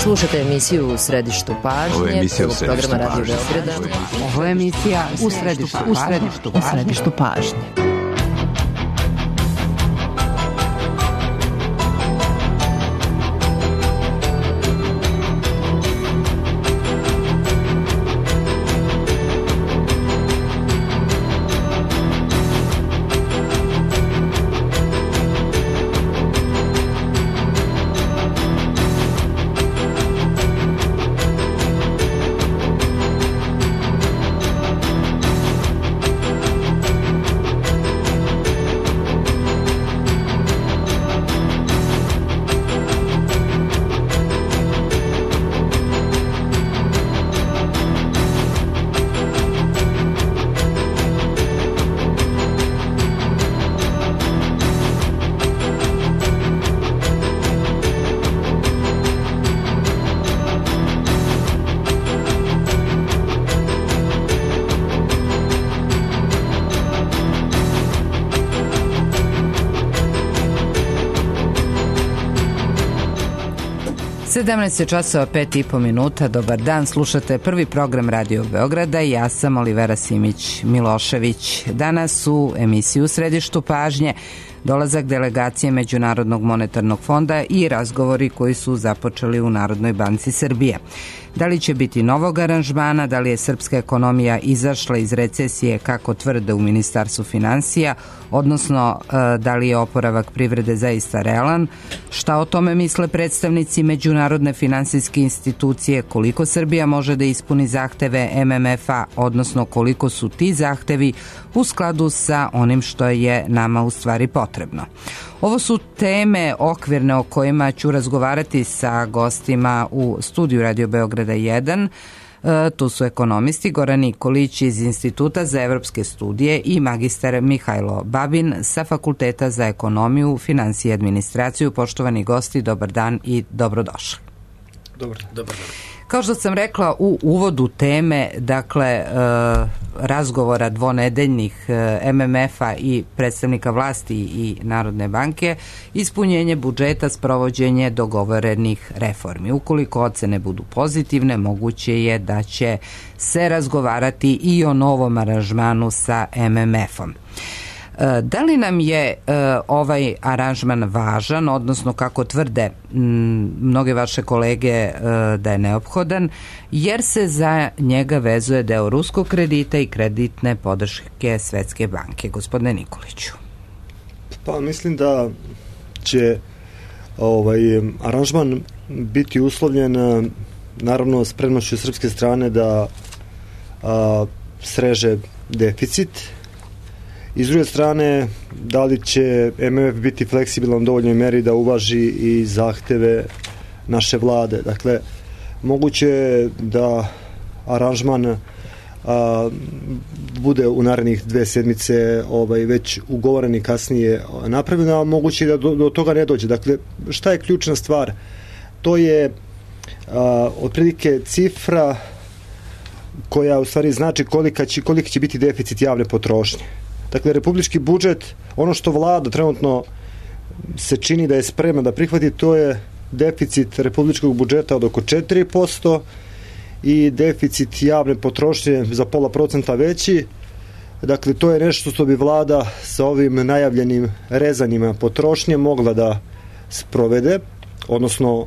Slušate emisiju U središtu pažnje, prvog programa Radio Beograda. Ovo je emisija U središtu pažnje. Sedamnaest je časova 5,5 Dobar dan, slušate prvi program Radio Beograda i ja sam Olivera Simić-Milošević. Danas u emisiju U središtu pažnje dolazak delegacije Međunarodnog monetarnog fonda i razgovori koji su započeli u Narodnoj banci Srbije. Da li će biti novog aranžmana, da li je srpska ekonomija izašla iz recesije kako tvrde u Ministarstvu finansija, odnosno da li je oporavak privrede zaista realan, šta o tome misle predstavnici Međunarodne finansijske institucije, koliko Srbija može da ispuni zahteve MMF-a, odnosno koliko su ti zahtevi u skladu sa onim što je nama u stvari potrebno. Ovo su teme okvirne o kojima ću razgovarati sa gostima u studiju Radio Beograda 1. Tu su ekonomisti Goran Nikolić iz Instituta za evropske studije i magistar Mihajlo Babin sa Fakulteta za ekonomiju, finansije i administraciju. Poštovani gosti, dobar dan i dobrodošli. Dobar dan. Kao što sam rekla u uvodu teme, dakle, razgovora dvonedeljnih MMF-a i predstavnika vlasti i Narodne banke, ispunjenje budžeta, sprovođenje dogovorenih reformi. Ukoliko ocene budu pozitivne, moguće je da će se razgovarati i o novom aranžmanu sa MMF-om. Da li nam je ovaj aranžman važan, odnosno kako tvrde mnoge vaše kolege da je neophodan, jer se za njega vezuje deo ruskog kredita i kreditne podrške Svetske banke? Gospodine Nikoliću. Pa mislim da će aranžman biti uslovljen naravno spremnošću srpske strane da sreže deficit. I s druge strane, da li će MMF biti fleksibilan u dovoljnoj meri da uvaži i zahteve naše vlade. Dakle, moguće je da aranžman bude u narednih 2 sedmice već ugovoren i kasnije napravljen, a moguće je da do toga ne dođe. Dakle, šta je ključna stvar? To je otprilike cifra koja u stvari znači koliki će biti deficit javne potrošnje. Dakle, republički budžet, ono što vlada trenutno se čini da je spremna da prihvati, to je deficit republičkog budžeta od oko 4% i deficit javne potrošnje za 0,5% veći. Dakle, to je nešto što bi vlada sa ovim najavljenim rezanjima potrošnje mogla da sprovede, odnosno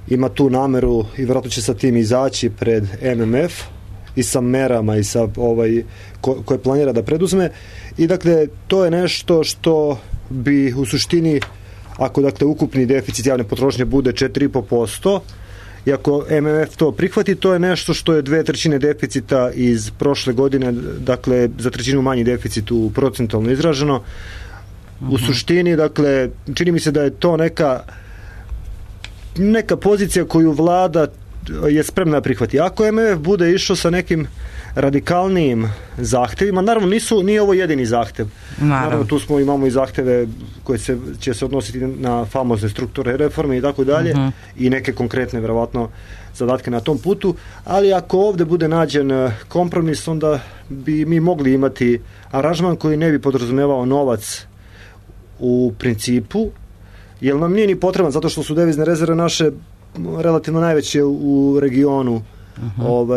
ima tu nameru i vjerojatno će sa tim izaći pred MMF i sa merama i sa koje planira da preduzme. I dakle, to je nešto što bi u suštini, ako dakle ukupni deficit javne potrošnje bude 4,5%, i ako MMF to prihvati, to je nešto što je 2/3 deficita iz prošle godine, dakle za 1/3 manji deficit u procentualno izraženo. U suštini, dakle, čini mi se da je to neka pozicija koju vlada je spremna da prihvati. Ako MMF bude išao sa nekim radikalnijim zahtevima, naravno nije ovo jedini zahtev. Naravno tu imamo i zahteve koje će se odnositi na famozne strukture reforme i tako dalje i neke konkretne verovatno zadatke na tom putu, ali ako ovde bude nađen kompromis, onda bi mi mogli imati aranžman koji ne bi podrazumevao novac u principu, jer nam nije ni potreban, zato što su devizne rezerve naše relativno najveće u regionu.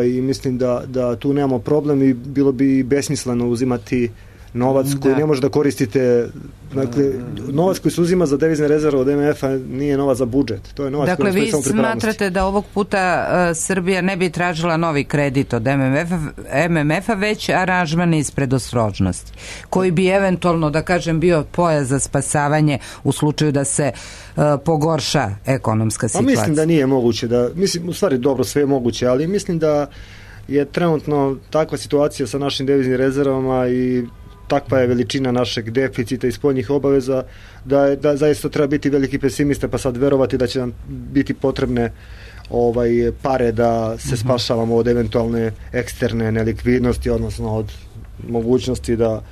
I mislim da tu nemamo problem i bilo bi besmisleno uzimati novac koji ne može da koristite. Dakle, novac koji se uzima za devizne rezerve od MMF-a nije novac za budžet. To je novac dakle, koji vi smatrate da ovog puta Srbija ne bi tražila novi kredit od MMF-a, već aranžman iz predostrožnosti, koji bi eventualno, da kažem, bio pojas za spasavanje u slučaju da se pogorša ekonomska situacija. Mislim da nije moguće. U stvari, dobro, sve je moguće, ali mislim da je trenutno takva situacija sa našim deviznim rezervama i takva je veličina našeg deficita i spoljnih obaveza da zaista treba biti veliki pesimista, pa sad verovati da će nam biti potrebne pare da se spašavamo od eventualne eksterne nelikvidnosti, odnosno od mogućnosti da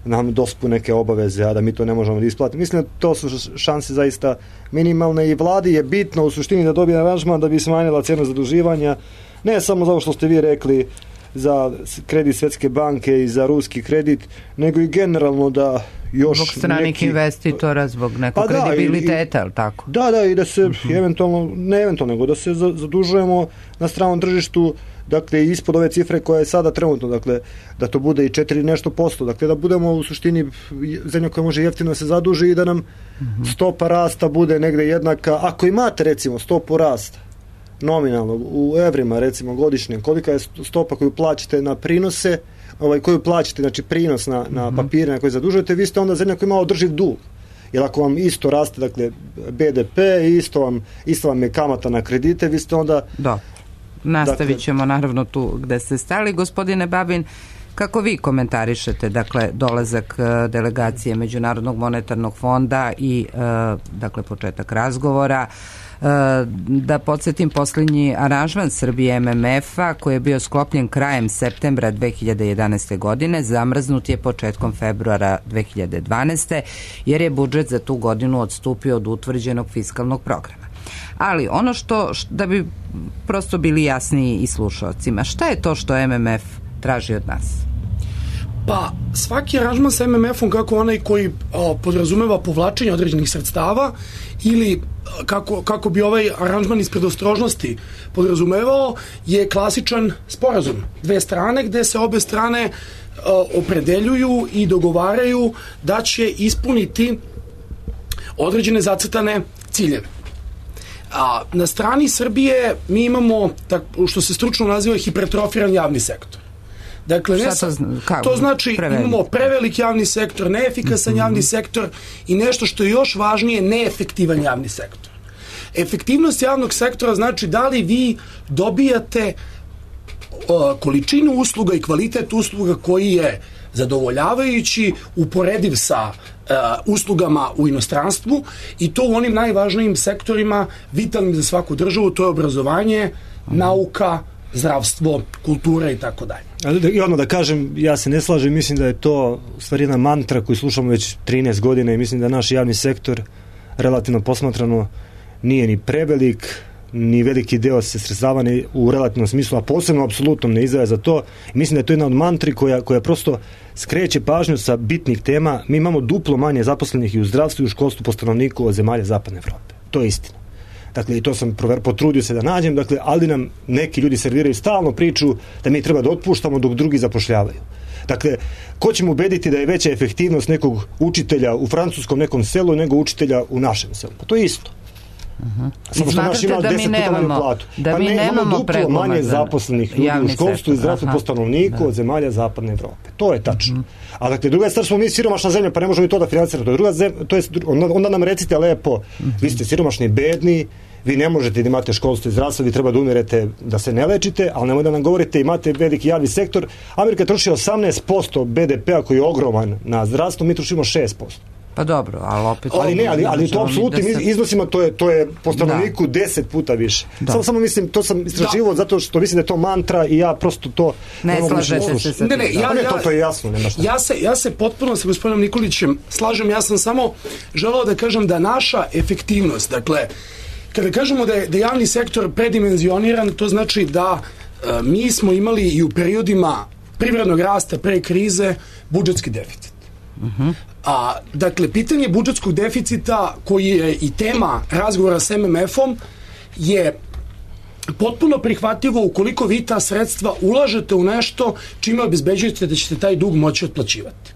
nam dospu neke obaveze, a da mi to ne možemo da isplatiti. Mislim da to su šanse zaista minimalne i vladi je bitno u suštini da dobije aranžman da bi smanjila cenu zaduživanja, ne samo zato što ste vi rekli za kredit Svetske banke i za ruski kredit, nego i generalno da još zbog stranih investitora, zbog nekog kredibiliteta, ali tako? Da, i da se nego da se zadužujemo na stranom tržištu, dakle, ispod ove cifre koja je sada trenutno, dakle, da to bude i 4 nešto posto, dakle, da budemo u suštini zemlja koja može jeftino se zaduži i da nam stopa rasta bude negde jednaka. Ako imate, recimo, stopu rasta nominalno u evrima, recimo godišnje, kolika je stopa koju plaćate na prinose, koju plaćate, znači prinos na papire na koje zadužujete, vi ste onda zemlja koja ima održiv dug. Jer ako vam isto raste, dakle, BDP, isto vam je kamata na kredite, vi ste onda... Da, nastavit ćemo naravno tu gde ste stali. Gospodine Babin, kako vi komentarišete, dakle, dolazak delegacije Međunarodnog monetarnog fonda i, dakle, početak razgovora? Da podsjetim, posljednji aranžman Srbije MMF-a koji je bio sklopljen krajem septembra 2011. godine zamrznut je početkom februara 2012. jer je budžet za tu godinu odstupio od utvrđenog fiskalnog programa. Ali ono što da bi prosto bili jasniji i slušalcima, šta je to što MMF traži od nas? Pa, svaki aranžman sa MMF-om, kako onaj koji podrazumeva povlačenje određenih sredstava ili kako bi ovaj aranžman iz predostrožnosti podrazumevao, je klasičan sporazum dve strane gde se obe strane opredeljuju i dogovaraju da će ispuniti određene zacrtane ciljeve. Na strani Srbije mi imamo, što se stručno naziva, hipertrofiran javni sektor. Dakle, to znači imamo prevelik javni sektor, neefikasan javni sektor i nešto što je još važnije, neefektivan javni sektor. Efektivnost javnog sektora znači da li vi dobijate količinu usluga i kvalitet usluga koji je zadovoljavajući, uporediv sa uslugama u inostranstvu, i to u onim najvažnijim sektorima vitalnim za svaku državu, to je obrazovanje, nauka, zdravstvo, kultura i tako dalje. I odmah da kažem, ja se ne slažem, mislim da je to u stvari jedna mantra koju slušamo već 13 godina i mislim da naš javni sektor relativno posmatrano nije ni prevelik, ni veliki deo se sredstava u relativnom smislu, a posebno apsolutno ne izdvaja za to. Mislim da je to jedna od mantri koja prosto skreće pažnju sa bitnih tema. Mi imamo duplo manje zaposlenih i u zdravstvu i u školstvu po stanovniku od zemalja Zapadne Evrope. To je istina. Dakle, i to sam potrudio se da nađem, dakle, ali nam neki ljudi serviraju stalno priču da mi treba da otpuštamo dok drugi zapošljavaju. Dakle, ko će mu ubediti da je veća efektivnost nekog učitelja u francuskom nekom selu nego učitelja u našem selu? Pa to je isto. Smatrate da mi nemamo duplo manje zaposlenih ljudi u školstvu i zdravstvu po stanovniku od zemalja Zapadne Evrope. To je tačno. A dakle, druga stvar, smo mi siromašna zemlja, pa ne možemo i to da financiramo. Onda nam recite lepo, vi ste siromašni, bedni, vi ne možete da imate školstvo i zdravstvo, vi treba da umirete da se ne lečite, ali nemoj da nam govorite imate veliki javni sektor. Amerika troši 18% BDP-a koji je ogroman na zdravstvo, mi trošimo 6%. Pa dobro, ali opet... Ali to apsolutnim iznosima to je po stanovniku 10 puta više. Samo mislim, to sam istraživao zato što mislim da je to mantra i ja prosto to ne slažete se sa tim. To je jasno. Ja se potpuno sa gospodinom Nikolićem slažem, ja sam samo želeo da kažem da naša efektivnost, dakle, kada kažemo da je javni sektor predimenzioniran, to znači da mi smo imali i u periodima privrednog rasta pre krize budžetski deficit. Dakle, pitanje budžetskog deficita koji je i tema razgovora s MMF-om je potpuno prihvatljivo ukoliko vi ta sredstva ulažete u nešto čime obezbeđujete da ćete taj dug moći otplaćivati.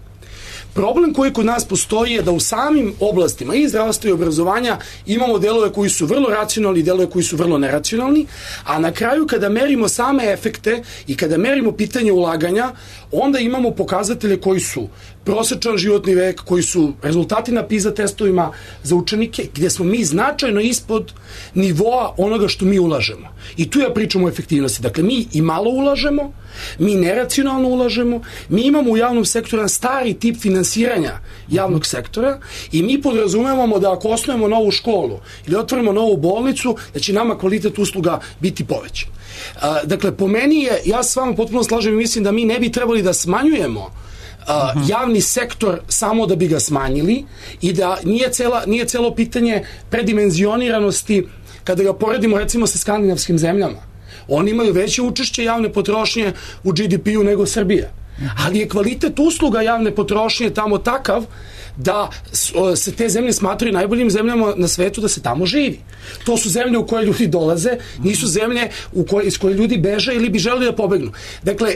Problem koji kod nas postoji je da u samim oblastima i zdravstva i obrazovanja imamo delove koji su vrlo racionalni i delove koji su vrlo neracionalni, a na kraju kada merimo same efekte i kada merimo pitanje ulaganja, onda imamo pokazatelje koji su prosečan životni vek, koji su rezultati na PISA testovima za učenike, gdje smo mi značajno ispod nivoa onoga što mi ulažemo. I tu ja pričam o efektivnosti. Dakle, mi i malo ulažemo, mi neracionalno ulažemo, mi imamo u javnom sektoru stari tip finansiranja javnog sektora i mi podrazumevamo da ako osnujemo novu školu ili otvorimo novu bolnicu, da će nama kvalitet usluga biti povećan. Dakle, po meni je, ja s vama potpuno slažem i mislim da mi ne bi trebali da smanjujemo javni sektor samo da bi ga smanjili i da nije celo pitanje predimenzioniranosti kada ga poredimo recimo sa skandinavskim zemljama. Oni imaju veće učešće javne potrošnje u GDP-u nego Srbija. Ali je kvalitet usluga javne potrošnje tamo takav da se te zemlje smatraju najboljim zemljama na svetu da se tamo živi. To su zemlje u koje ljudi dolaze, nisu zemlje iz koje ljudi beže ili bi želeli da pobegnu. Dakle,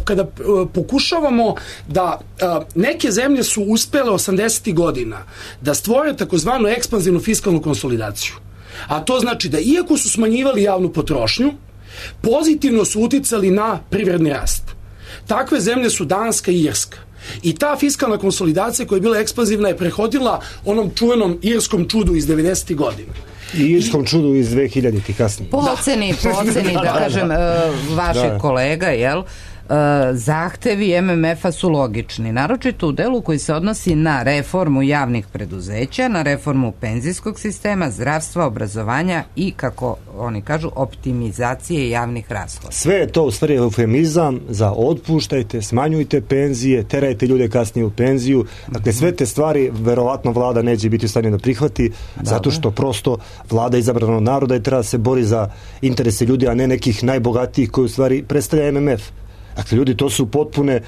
kada pokušavamo da neke zemlje su uspele 80. godina da stvore takozvanu ekspanzivnu fiskalnu konsolidaciju, a to znači da iako su smanjivali javnu potrošnju, pozitivno su uticali na privredni rast. Takve zemlje su Danska i Irska. I ta fiskalna konsolidacija koja je bila ekspanzivna je prehodila onom čuvenom irskom čudu iz 90. godina. I irskom čudu iz 2000-ih kasnije. Po oceni, da kažem, vašeg kolega, jel? Zahtevi MMF-a su logični, naročito u delu koji se odnosi na reformu javnih preduzeća, na reformu penzijskog sistema, zdravstva, obrazovanja i, kako oni kažu, optimizacije javnih rashoda. Sve je to u stvari eufemizam za otpuštajte, smanjujte penzije, terajte ljude kasnije u penziju. Dakle, sve te stvari verovatno vlada neće biti u stanju da prihvati, zato što prosto vlada izabrana od naroda i treba da se bori za interese ljudi, a ne nekih najbogatijih koji u stvari predstavlja MMF. Dakle, ljudi, to su potpune,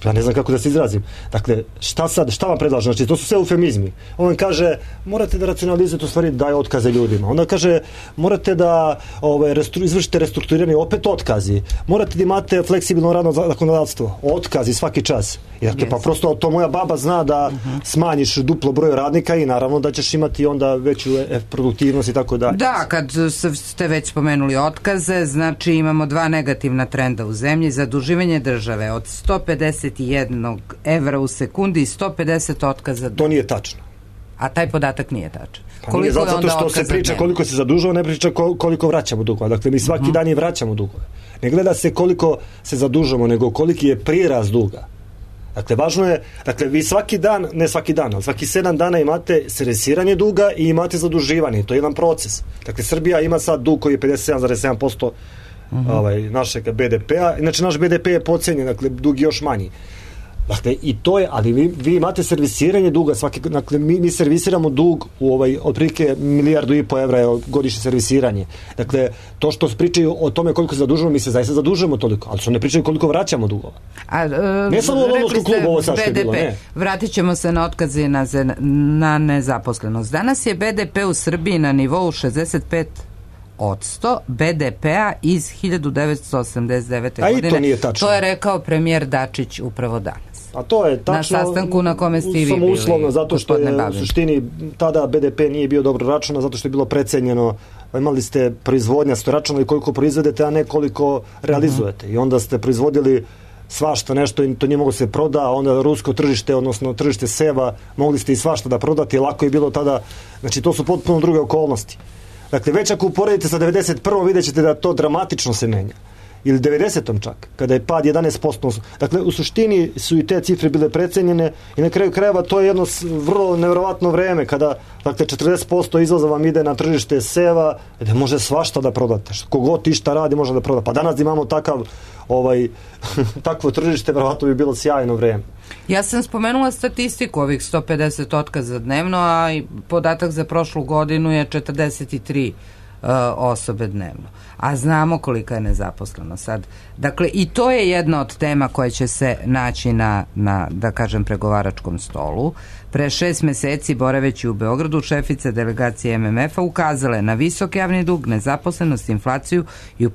ja ne znam kako da se izrazim. Dakle, šta vam predlažem? Znači, to su sve eufemizmi. On kaže, morate da racionalizujete, u stvari daje otkaze ljudima. Onda kaže, morate da izvršite restrukturiranje, opet otkazi. Morate da imate fleksibilno radno zakonodavstvo. Otkazi svaki čas. Dakle, pa prosto to moja baba zna da smanjiš duplo broj radnika i naravno da ćeš imati onda veću produktivnost i tako dalje. Da, kad ste već spomenuli otkaze, znači imamo dva negativna trenda u zemlji. Zaduživanje države od 151 evra u sekundi i 150 otkaza. To nije tačno. A taj podatak nije tačan. Pa nije, zato što se priča koliko se zadužava, ne priča koliko vraćamo dugova. Dakle, mi svaki dan i vraćamo dugove. Ne gleda se koliko se zadužamo, nego koliki je prirast duga. Dakle, važno je, dakle, vi svaki dan, ne svaki dan, ali svaki 7 dana imate servisiranje duga i imate zaduživanje. To je jedan proces. Dakle, Srbija ima sad dug koji je 57,7% našeg BDP-a. Inače, naš BDP je podcenjen, dakle, dug je još manji. Dakle, i to je, ali vi imate servisiranje duga, dakle, mi servisiramo dug u otprilike 1,5 milijardu evra je godišnje servisiranje. Dakle, to što pričaju o tome koliko se zadužujemo, mi se zaista zadužujemo toliko, ali što ne pričaju koliko vraćamo dugova. Ne samo u Londonskom klubu, ovo sad što je bilo, ne. Vratit ćemo se na otkaze i na nezaposlenost. Danas je BDP u Srbiji na nivou 65% BDP-a iz 1989. godine. A i to nije tačno. To je rekao premijer Dačić upravo danas. A to je tačno. Na sastanku na kome ste i vi bili. Uslovno, zato što je u suštini tada BDP nije bio dobro računa, zato što je bilo precenjeno. Imali ste proizvodnja, ste računali koliko proizvedete, a ne koliko realizujete. I onda ste proizvodili svašta nešto i to nije moglo se proda, a onda rusko tržište, odnosno tržište seva, mogli ste i svašta da prodate, lako je bilo tada. Znači, to su potpuno druge okolnosti. Dakle, već ako uporedite sa 91. vidjet ćete da to dramatično se menja. Ili 90. čak, kada je pad 11%. Dakle, u suštini su i te cifre bile precenjene i na kraju krajeva to je jedno vrlo nevjerovatno vreme kada, dakle, 40% izvoza vam ide na tržište seva, gde može svašta da prodate. Kogod išta radi može da proda. Pa danas imamo takvo tržište, verovatno bi bilo sjajno vreme. Ja sam spomenula statistiku ovih 150 otkaza dnevno, a i podatak za prošlu godinu je 43 osobe dnevno. A znamo kolika je nezaposlenost sad. Dakle, i to je jedna od tema koja će se naći na da kažem, pregovaračkom stolu. Pre 6 meseci, boraveći u Beogradu, šefica delegacije MMF-a ukazala je na visok javni dug, nezaposlenost, inflaciju i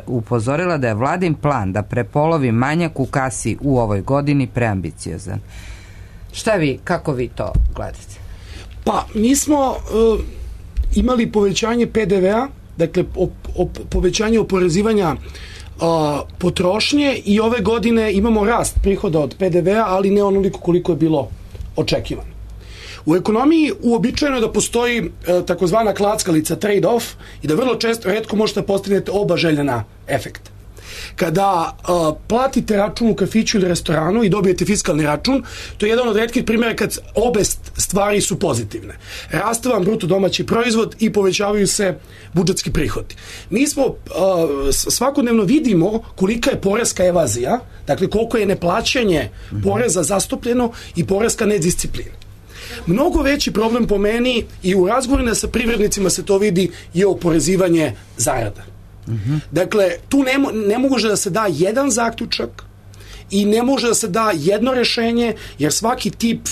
upozorila da je vladin plan da prepolovi manjak u kasi u ovoj godini preambiciozan. Kako vi to gledate? Pa, mi smo imali povećanje PDV-a, dakle povećanje oporezivanja potrošnje i ove godine imamo rast prihoda od PDV-a, ali ne onoliko koliko je bilo očekivano. U ekonomiji uobičajeno je da postoji takozvana klackalica, trade-off, i da vrlo često, retko možete da postignete oba željena efekta. Kada platite račun u kafiću ili restoranu i dobijete fiskalni račun, to je jedan od retkih primjera kad obe stvari su pozitivne. Raste vam bruto domaći proizvod i povećavaju se budžetski prihodi. Mi smo svakodnevno vidimo kolika je poreska evazija, dakle koliko je neplaćanje poreza zastupljeno i poreska nedisciplina. Mnogo veći problem po meni i u razgovorima sa privrednicima se to vidi je oporezivanje zarada. Dakle, tu ne može da se da jedan zaključak i ne može da se da jedno rešenje, jer svaki tip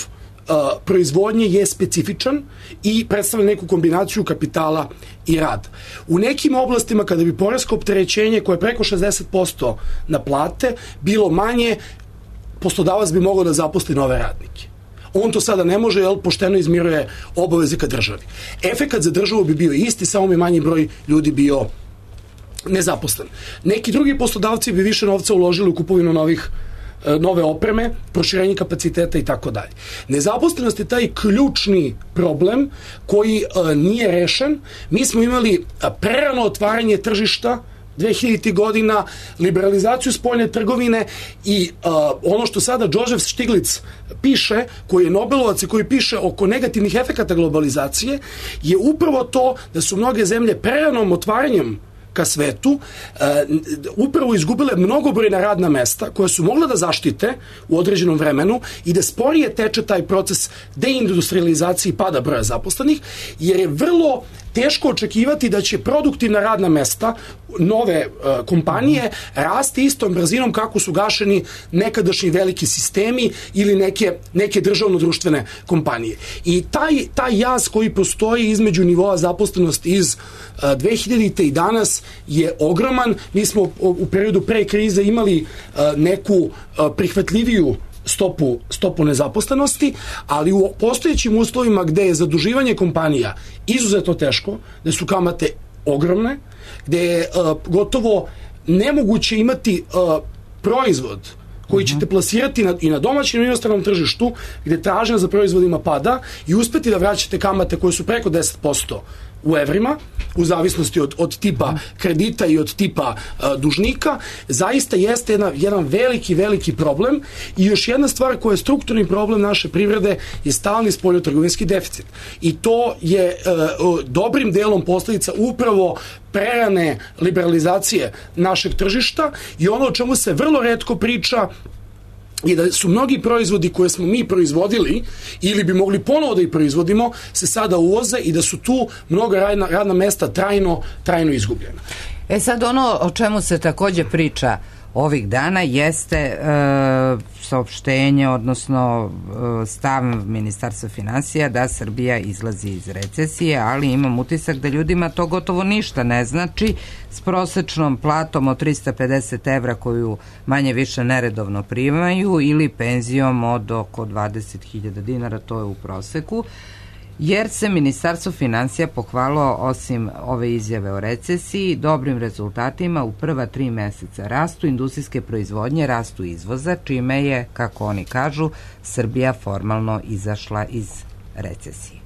proizvodnje je specifičan i predstavlja neku kombinaciju kapitala i rada. U nekim oblastima kada bi poresko opterećenje koje je preko 60% na plate bilo manje, poslodavac bi mogao da zaposli nove radnike. On to sada ne može, jer pošteno izmiruje obaveze ka državi. Efekat za državu bi bio isti, samo bi manji broj ljudi bio nezaposlen. Neki drugi poslodavci bi više novca uložili u kupovinu nove opreme, proširenje kapaciteta i tako dalje. Nezaposlenost je taj ključni problem koji nije rešen. Mi smo imali prerano otvaranje tržišta 2000. godina, liberalizaciju spoljne trgovine i ono što sada Joseph Stiglitz piše, koji je Nobelovac i koji piše oko negativnih efekata globalizacije, je upravo to da su mnoge zemlje preranom otvaranjem ka svetu upravo izgubile mnogobrojna radna mesta koja su mogla da zaštite u određenom vremenu i da sporije teče taj proces deindustrializacije i pada broja zaposlenih, jer je vrlo teško očekivati da će produktivna radna mesta nove kompanije rasti istom brzinom kako su gašeni nekadašnji veliki sistemi ili neke državno-društvene kompanije. I taj jaz koji postoji između nivoa zaposlenosti iz 2000. i danas je ogroman. Mi smo u periodu pre krize imali neku prihvatljiviju stopu nezaposlenosti, ali u postojećim uslovima gde je zaduživanje kompanija izuzetno teško, gde su kamate ogromne, gde je gotovo nemoguće imati proizvod koji ćete plasirati i na domaćem i inostranom tržištu, gde tražnja za proizvodima pada i uspeti da vraćate kamate koje su preko 10% u evrima, u zavisnosti od tipa kredita i od tipa dužnika, zaista jeste jedan veliki problem. I još jedna stvar koja je strukturni problem naše privrede je stalni spoljnotrgovinski deficit. I to je dobrim delom posledica upravo prerane liberalizacije našeg tržišta i ono o čemu se vrlo retko priča i da su mnogi proizvodi koje smo mi proizvodili ili bi mogli ponovo da ih proizvodimo se sada uvoze i da su tu mnoga radna mesta trajno izgubljena. Sad ono o čemu se takođe priča ovih dana jeste saopštenje, odnosno stav Ministarstva finansija da Srbija izlazi iz recesije, ali imam utisak da ljudima to gotovo ništa ne znači. S prosečnom platom od 350 evra koju manje više neredovno primaju ili penzijom od oko 20.000 dinara, to je u proseku, jer se Ministarstvo finansija pohvalilo osim ove izjave o recesiji dobrim rezultatima u prva 3 meseca rastu industrijske proizvodnje, rastu izvoza, čime je, kako oni kažu, Srbija formalno izašla iz recesije.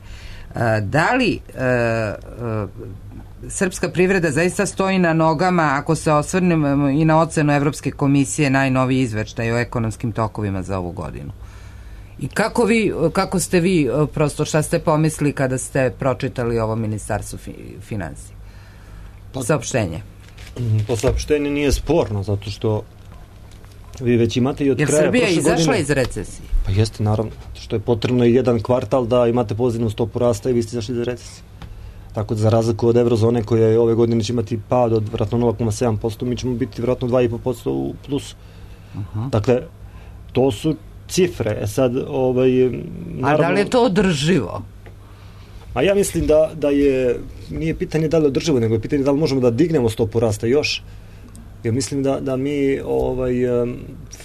Da li srpska privreda zaista stoji na nogama ako se osvrnemo i na ocenu Evropske komisije, najnoviji izveštaj o ekonomskim tokovima za ovu godinu? I kako ste vi, prosto šta ste pomislili kada ste pročitali ovo Ministarstvo finansija? Saopštenje. To saopštenje nije sporno, zato što vi već imate i od kraja prošle godine. Jer Srbija izašla iz recesije? Pa jeste, naravno, što je potrebno i jedan kvartal da imate pozitivnu stopu rasta i vi ste izašli iz recesije. Tako da za razliku od eurozone koja je ove godine će imati pad od vjerojatno 0,7%, mi ćemo biti vjerojatno 2,5% u plusu. Dakle, to su cifre. Sad, naravno, a da li je to održivo? A ja mislim da nije pitanje da li održivo, nego je pitanje da li možemo da dignemo stopu rasta još. Ja mislim da mi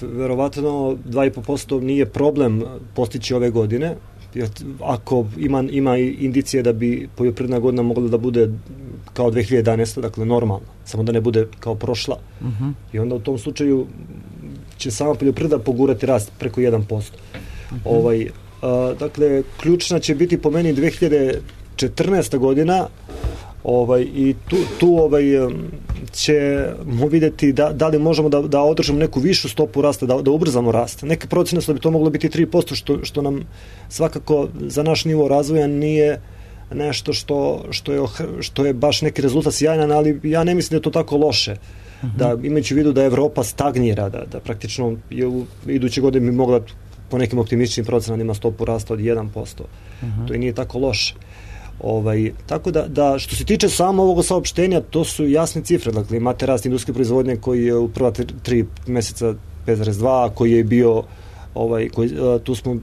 verovatno 2,5% nije problem postići ove godine, ako ima indicije da bi poljoprivredna godina mogla da bude kao 2011. Dakle normalno, samo da ne bude kao prošla. I onda u tom slučaju će sama poljoprivreda pogurati rast preko 1%. Dakle, ključna će biti po meni 2014. godina, i tu ćemo vidjeti da li možemo da održimo neku višu stopu rasta, da ubrzamo rast. Neke procene su da bi to moglo biti 3%, što nam svakako za naš nivo razvoja nije nešto što je baš neki rezultat sjajan, ali ja ne mislim da je to tako loše. Da, imajući u vidu da Evropa stagnira, da praktično je u iduće godine bi mogla po nekim optimističnim procenama ima stopu rasta od 1%. To i nije tako loše. Tako da što se tiče samo ovog saopštenja, to su jasne cifre. Dakle, imate rast industrijske proizvodnje koji je u prva 3 meseca 5,2, koji je bio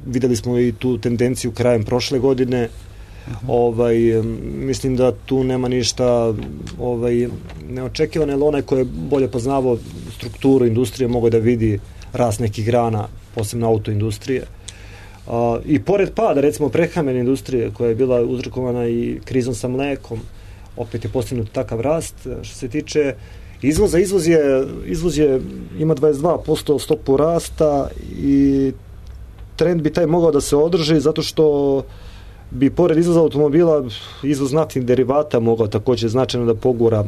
videli smo i tu tendenciju krajem prošle godine. Mislim da tu nema ništa neočekivano, jer onaj ko je bolje poznavao strukturu industrije mogao da vidi rast nekih grana, posebno autoindustrije. I pored pada, recimo, prehrambene industrije koja je bila uzrokovana i krizom sa mlekom, opet je postignut takav rast. Što se tiče izvoza, izvoz ima 22% stopu rasta i trend bi taj mogao da se održi zato što bi pored izvoza automobila izvoz naftnih derivata mogao također značajno da pogura,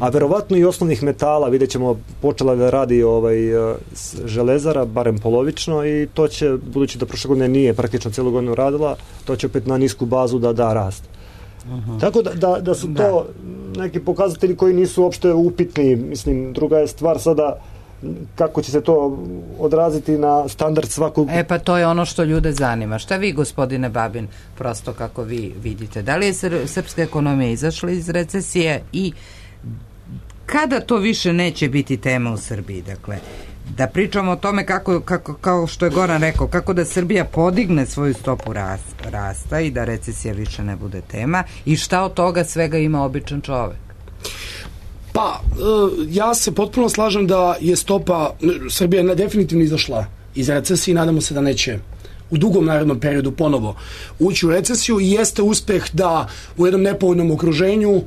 a verovatno i osnovnih metala. Vidjet ćemo, počela da radi železara, barem polovično, i to će, budući da prošle godine nije praktično cijelu godinu radila, to će opet na nisku bazu da rast. Tako da su to neki pokazatelji koji nisu uopšte upitni. Mislim, druga je stvar sada kako će se to odraziti na standard svakog... Pa to je ono što ljude zanima. Šta vi, gospodine Babin, prosto kako vi vidite? Da li je srpska ekonomija izašla iz recesije i kada to više neće biti tema u Srbiji? Dakle, da pričamo o tome kao što je Goran rekao, kako da Srbija podigne svoju stopu rasta i da recesija više ne bude tema, i šta od toga svega ima običan čovek? Pa, ja se potpuno slažem da je stopa, Srbija je definitivno izašla iz recesije i nadamo se da neće u dugom narednom periodu ponovo ući u recesiju, i jeste uspeh da u jednom nepovoljnom okruženju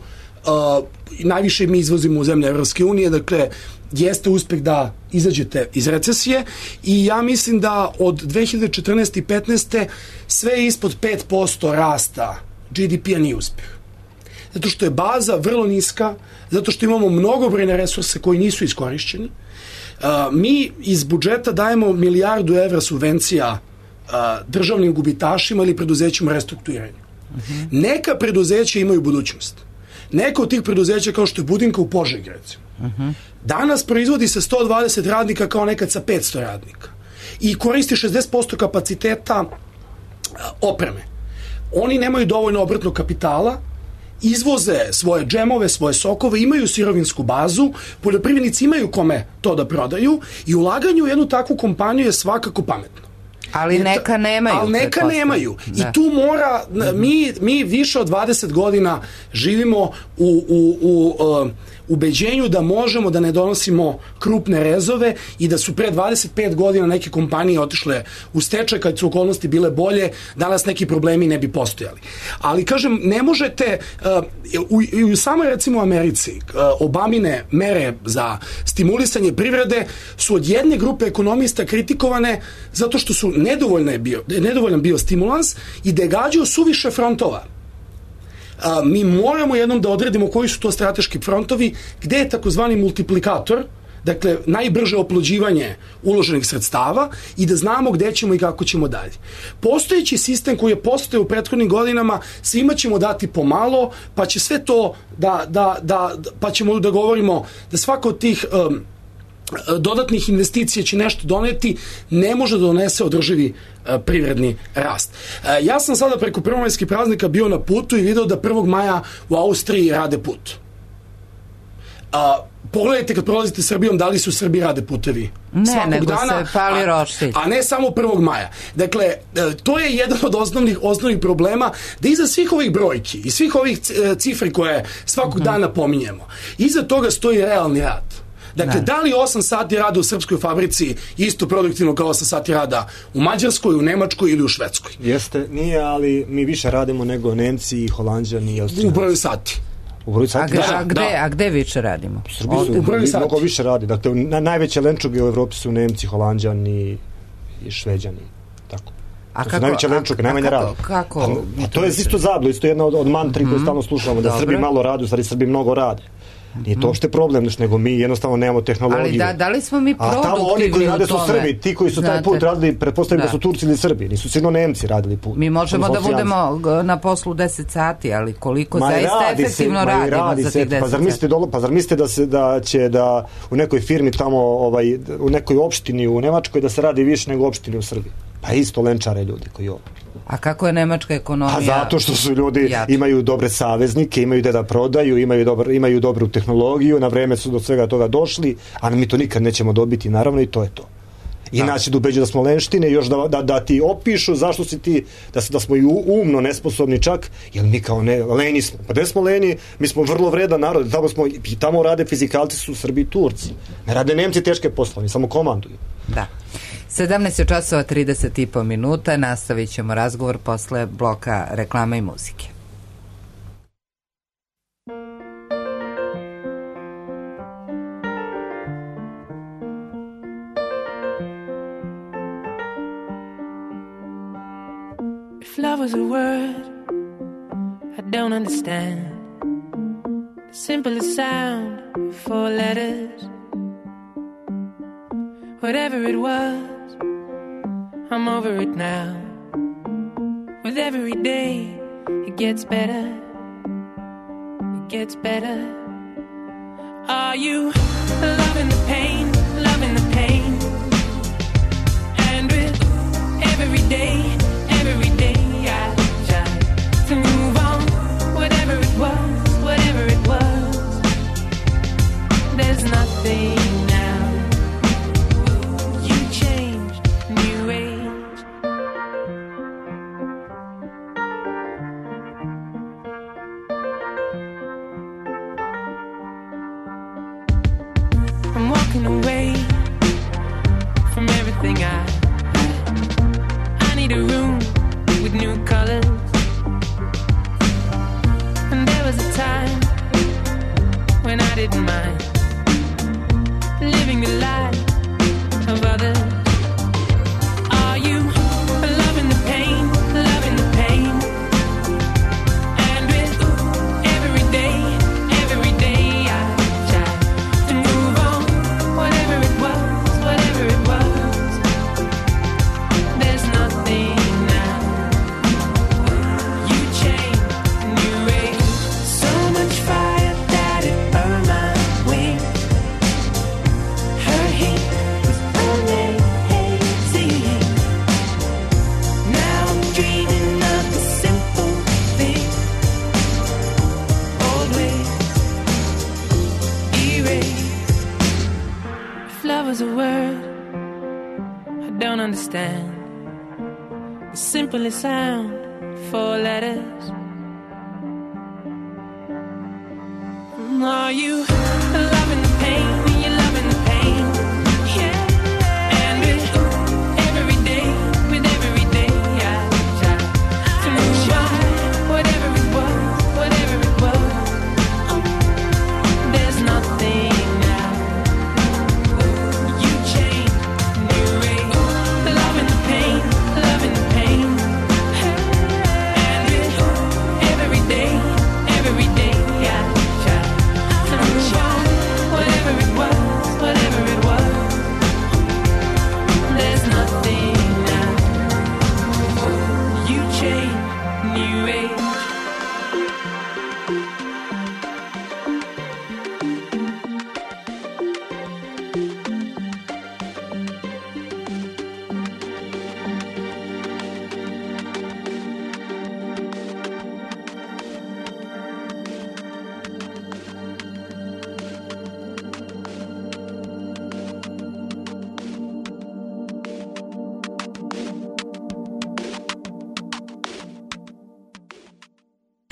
najviše mi izvozimo u zemlje Evropske unije, dakle jeste uspeh da izađete iz recesije, i ja mislim da od 2014. i 2015. sve ispod 5% rasta GDP-a nije uspeh. Zato što je baza vrlo niska, zato što imamo mnogobrojne resurse koji nisu iskorišćeni. Mi iz budžeta dajemo 1 milijardu evra subvencija državnim gubitašima ili preduzećima restrukturiranju. Neka preduzeća imaju budućnost. Neka od tih preduzeća, kao što je Budinka u Požegi, recimo, danas proizvodi se 120 radnika kao nekad sa 500 radnika i koristi 60% kapaciteta opreme. Oni nemaju dovoljno obrtnog kapitala, izvoze svoje džemove, svoje sokove, imaju sirovinsku bazu, poljoprivrednici imaju kome to da prodaju, i ulaganje u jednu takvu kompaniju je svakako pametno. Ali neka nemaju. Ali neka nemaju. I tu mora, mi više od 20 godina živimo u ubeđenju da možemo da ne donosimo krupne rezove i da su pre 25 godina neke kompanije otišle u stečaj kad su okolnosti bile bolje, danas neki problemi ne bi postojali. Ali kažem, ne možete, u samoj recimo Americi, Obamine mere za stimulisanje privrede su od jedne grupe ekonomista kritikovane zato što su nedovoljan bio stimulans i da je gađao suviše frontova. Mi moramo jednom da odredimo koji su to strateški frontovi, gde je takozvani multiplikator, dakle najbrže oplođivanje uloženih sredstava, i da znamo gde ćemo i kako ćemo dalje. Postojeći sistem koji je postojao u prethodnim godinama, svima ćemo dati pomalo, pa će sve to pa ćemo da govorimo da svaka od tih dodatnih investicija će nešto doneti, ne može da donese održivi privredni rast. Ja sam sada preko prvomajskih praznika bio na putu i video da 1. maja u Austriji rade put. Pogledajte kad prolazite Srbijom da li se u Srbiji rade putevi. Ne, nego dana, se pali roštilj. A ne samo 1. maja. Dakle, to je jedan od osnovnih problema, da iza svih ovih brojki i svih ovih cifri koje svakog dana pominjemo, iza toga stoji realni rad. Dakle, da li 8 sati rada u srpskoj fabrici isto produktivno kao 8 sati rada u Mađarskoj, u Nemačkoj ili u Švedskoj? Jeste, nije, ali mi više radimo nego Nemci i Holanđani i Austrijanci. U broju sati. A gde više radimo? U Srbiji su mnogo više radi. Dakle, najveće lenčuge u Evropi su Nemci, Holanđani i Šveđani. Tako. To su najveće lenčuge, najmanje radi. Kako? To je isto zablo, isto jedna od mantri koje stalno slušamo, da Srbi malo rade, u stvari Srbi mnogo rade. Nije to uopšte problem, nego mi jednostavno nemamo tehnologiju. Ali da li smo mi produktivni u tome? A tamo oni koji rade su Srbi, ti koji su taj put radili, pretpostavljam da su Turci ili Srbi, nisu sigurno Nemci radili put. Mi možemo da budemo na poslu 10 sati, ali koliko zaista efektivno radimo za tih 10 sati? Pa zar mislite da će da u nekoj firmi tamo, u nekoj opštini u Nemačkoj da se radi više nego u opštini u Srbiji? Pa isto lenčare ljudi koji ovo. A kako je nemačka ekonomija? A zato što su ljudi, imaju dobre saveznike, imaju gde da prodaju, imaju dobru tehnologiju, na vreme su do svega toga došli, a mi to nikad nećemo dobiti, naravno, i to je to. I nas će da ubeđu da smo lenštine, još da ti opišu zašto si ti, da smo i umno nesposobni čak, jer mi kao lenji smo. Pa gde smo lenji? Mi smo vrlo vredan narod, tamo rade fizikalci, su Srbi i Turci. Ne rade Nemci teške poslove, samo komanduju. Da. 17 časova 30,5 minuta, nastavit ćemo razgovor posle bloka reklama i muzike. If love was a word I don't understand, the simplest sound, 4 letters. Whatever it was, I'm over it now. With every day, it gets better. It gets better. Are you loving the pain, loving the pain? And with every day I try to move on. Whatever it was, there's nothing now. You changed, new age. I'm walking away from everything I need a room with new colors. And there was a time when I didn't mind living the life of others. Are you loving the pain, loving the pain? And with every day I try to move on. Whatever it was, there's nothing now. You changed, new age. So much fire that it burned my wings. Her heat was amazing. Now I'm dreaming of the simple things. Old ways erased. If love was a word I don't understand, the simplest sound, 4 letters. Are you loving the pain? You loving the pain? Yeah. And with every day I try to move on. Whatever it was, there's nothing now. You change, new age. Loving the pain, loving the pain. And with every day I try to move on.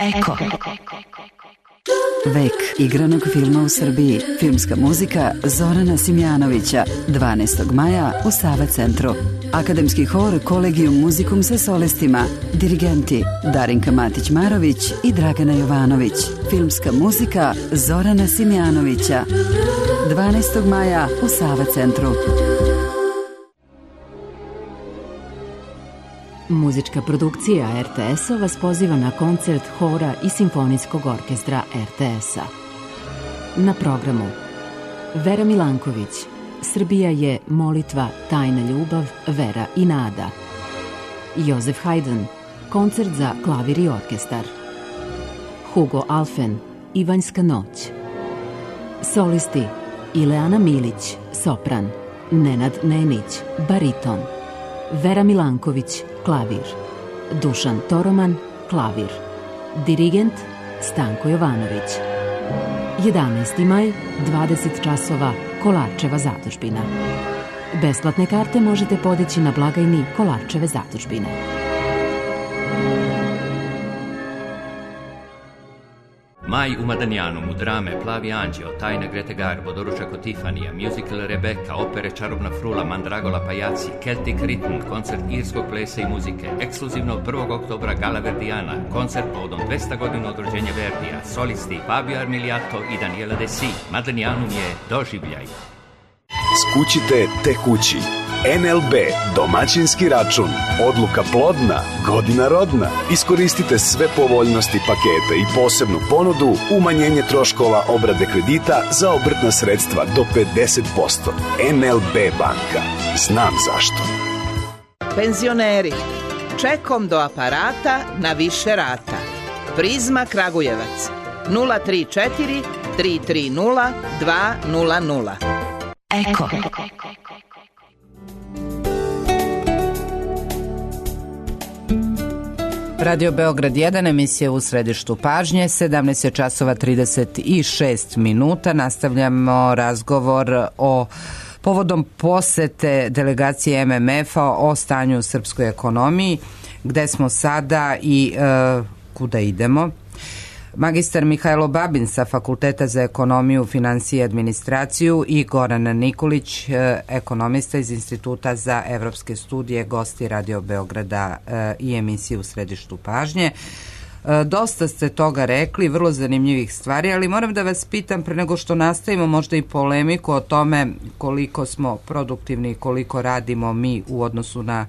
Eko. Vek igranog filma u Srbiji. Filmska muzika Zorana Simjanovića. 12. maja u Sava centru. Akademski hor Kolegium Muzikum sa solistima. Dirigenti Darinka Matić-Marović i Dragana Jovanović. Filmska muzika Zorana Simjanovića. 12. maja u Sava centru. Muzička produkcija RTS-a vas poziva na koncert hora i simfonijskog orkestra RTS-a. Na programu Vera Milanković, Srbija je molitva, tajna ljubav, vera i nada. Jozef Haydn, koncert za klavir i orkestar. Hugo Alfen, Ivanjska noć. Solisti Ileana Milić, sopran. Nenad Nenić, bariton. Vera Milanković, klavir. Dušan Toroman, klavir. Dirigent Stanko Jovanović. 11. maj, 20 časova, Kolarčeva zadužbina. Besplatne karte možete podići na blagajni Kolarčeve zadužbine. Maj u Madanjanu, drame Plavi anđeo, Tajna Grete Garbo, Doručak od Tifanija, musical Rebeka, opere Čarobna frula, Mandragola Pajaci, Celtic Rhythm, koncert irskog plesa i muzike, ekskluzivno 1. oktobra Gala Verdijana, koncert povodom 200 godina od rođenja Verdija, solisti Fabio Armiliato i Daniela Desi. Madanjanum je doživljaj. Skućite te kući. NLB, domaćinski račun, odluka plodna, godina rodna. Iskoristite sve povoljnosti paketa i posebnu ponudu, umanjenje troškova obrade kredita za obrtna sredstva do 50%. NLB banka. Znam zašto. Penzioneri, čekom do aparata na više rata. Prizma Kragujevac 034 330 200. Eko. Radio Beograd 1, emisija u središtu pažnje, 17 časova 36 minuta. Nastavljamo razgovor o povodom posete delegacije MMF-a o stanju u srpskoj ekonomiji, gde smo sada i kuda idemo. Magistar Mihajlo Babin sa Fakulteta za ekonomiju, finansije i administraciju i Goran Nikolić, ekonomista iz Instituta za evropske studije, gosti Radio Beograda i emisije u središtu pažnje. Dosta ste toga rekli, vrlo zanimljivih stvari, ali moram da vas pitam pre nego što nastavimo možda i polemiku o tome koliko smo produktivni i koliko radimo mi u odnosu na